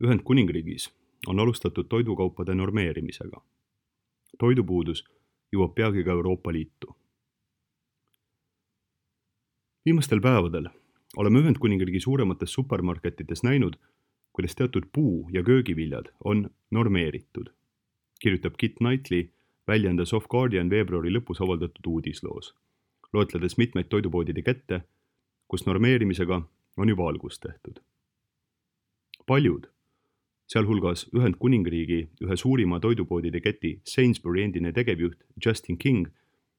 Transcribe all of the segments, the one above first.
Ühendkuningriigis on alustatud toidukaupade normeerimisega. Toidupuudus jõuab peagi ka Euroopa Liitu. Viimastel päevadel oleme Ühendkuningriigi suuremates supermarketites näinud, kuidas teatud puu- ja köögiviljad on normeeritud, kirjutab Kit Knightley väljaandes Soft Guardian veebruari lõpus avaldatud uudisloos, loetledes mitmeid toidupoodide kette, kus normeerimisega on juba algust tehtud. Paljud, sealhulgas Ühendkuningriigi ühe suurima toidupoodide keti Sainsbury endine tegevjuht Justin King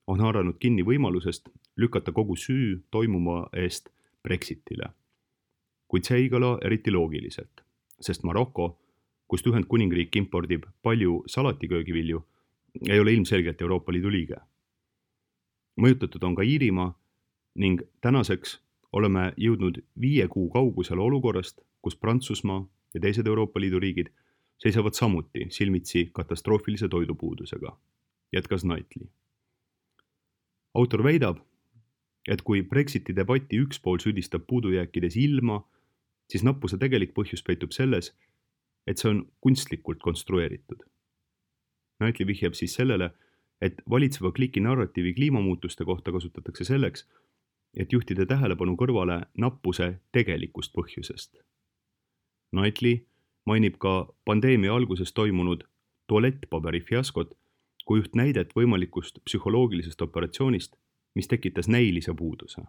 on haaranud kinni võimalusest lükata kogu süü toimuma eest Brexitile. Kuid see ei kõla eriti loogiliselt, sest Maroko, kust Ühendkuningriik impordib palju salatiköögivilju, ei ole ilmselgelt Euroopa Liidu liige. Mõjutatud on ka Iirimaa ning tänaseks oleme jõudnud 5 kuu kaugusele olukorrast, kus Prantsusmaa ja teised Euroopa Liidu riigid seisavad samuti silmitsi katastroofilise toidupuudusega, jätkas Knightley. Autor väidab, et kui Brexiti debati üks pool süüdistab puudujääkides ilma, siis nappuse tegelik põhjus peitub selles, et see on kunstlikult konstrueeritud. Knightley vihjab siis sellele, et valitseva kliki narratiivi kliimamuutuste kohta kasutatakse selleks, et juhtida tähelepanu kõrvale nappuse tegelikust põhjusest. Knightley mainib ka pandeemia alguses toimunud tualettpaberi fiaskot kui üht näidet võimalikust psühholoogilisest operatsioonist, mis tekitas näilise puuduse.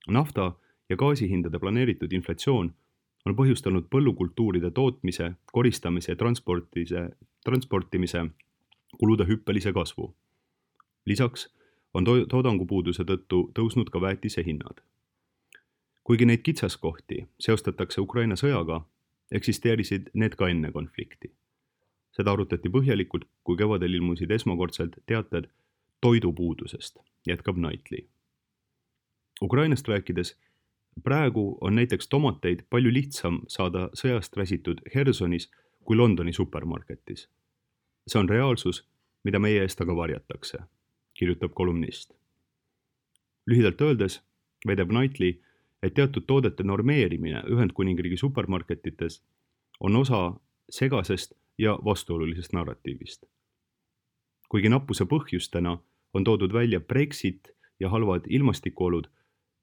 Nafta ja gaasihindade planeeritud inflatsioon on põhjustanud põllukultuuride tootmise, koristamise ja transportimise kulude hüppelise kasvu. Lisaks on toodangupuuduse tõttu tõusnud ka väetise hinnad. Kuigi neid kitsaskohti seostatakse Ukraina sõjaga, eksisteerisid need ka enne konflikti. Seda arutati põhjalikult, kui kevadel ilmusid esmakordselt teated toidupuudusest, jätkab Knightley. Ukrainast rääkides, praegu on näiteks tomateid palju lihtsam saada sõjast räsitud Hersonis kui Londoni supermarketis. See on reaalsus, mida meie eest aga varjatakse, kirjutab kolumnist. Lühidalt öeldes väidab Knightley, et teatud toodete normeerimine Ühendkuningriigi supermarketites on osa segasest ja vastuolulisest narratiivist. Kuigi nappuse põhjustena on toodud välja Brexit ja halvad ilmastikuolud,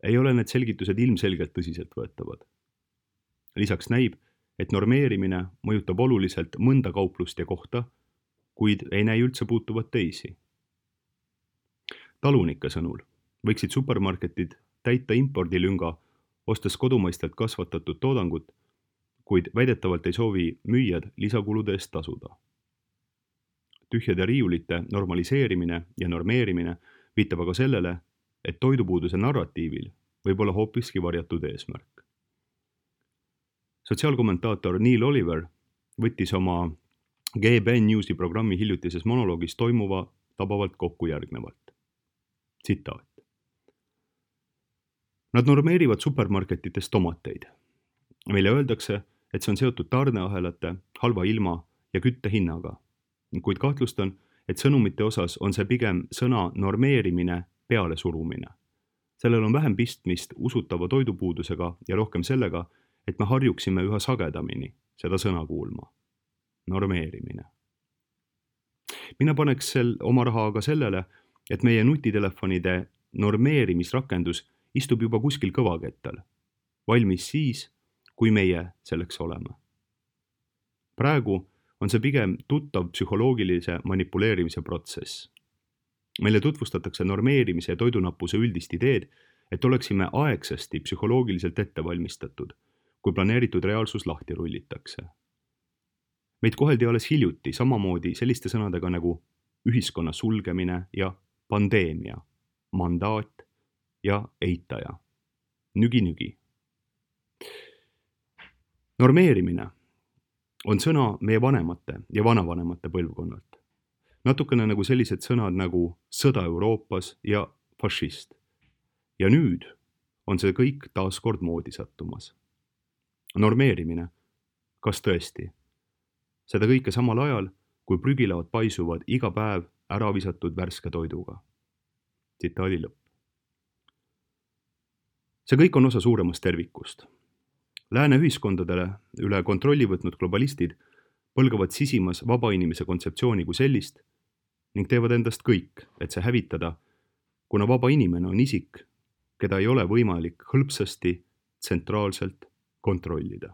ei ole need selgitused ilmselgelt tõsiselt võetavad. Lisaks näib, et normeerimine mõjutab oluliselt mõnda kauplust ja kohta, kuid ei näi üldse puutuvat teisi. Talunike sõnul võiksid supermarketid täita impordilünga, ostes kodumaistelt kasvatatud toodangut, kuid väidetavalt ei soovi müüjad lisakulude eest tasuda. Tühjade riiulite normaliseerimine ja normeerimine viitab aga sellele, et toidupuuduse narratiivil võib olla hoopiski varjatud eesmärk. Sotsiaalkommentaator Neil Oliver võttis oma GBN Newsi programmi hiljutises monoloogis toimuva tabavalt kokku järgnevalt. Tsitaat. Nad normeerivad supermarketites tomateid. Meile öeldakse, et see on seotud tarneahelate, halva ilma ja küttehinnaga, kuid kahtlustan, et sõnumite osas on see pigem sõna normeerimine peale surumine. Sellel on vähem pistmist usutava toidupuudusega ja rohkem sellega, et me harjuksime üha sagedamini seda sõna kuulma. Normeerimine. Mina paneks oma raha aga sellele, et meie nutitelefonide normeerimisrakendus istub juba kuskil kõvakettal, valmis siis, kui meie selleks oleme. Praegu on see pigem tuttav psühholoogilise manipuleerimise protsess. Meile tutvustatakse normeerimise ja toidunappuse üldist ideed, et oleksime aegsasti psühholoogiliselt ette valmistatud, kui planeeritud reaalsus lahti rullitakse. Meid koheldi alles hiljuti samamoodi selliste sõnadega nagu ühiskonna sulgemine ja pandeemia, mandaat ja eitaja. Nügi. Normeerimine on sõna meie vanemate ja vanavanemate põlvkonnalt. Natukene nagu sellised sõnad nagu sõda Euroopas ja fašist. Ja nüüd on see kõik taas kord moodi sattumas. Normeerimine, kas tõesti? Seda kõike samal ajal, kui prügilaod paisuvad iga päev ära visatud värske toiduga. Tsitaadi lõpp. See kõik on osa suuremast tervikust. Lääne ühiskondadele üle kontrolli võtnud globalistid põlgavad sisimas vaba inimese kontseptsiooni kui sellist ning teevad endast kõik, et see hävitada, kuna vaba inimene on isik, keda ei ole võimalik hõlpsasti tsentraalselt kontrollida.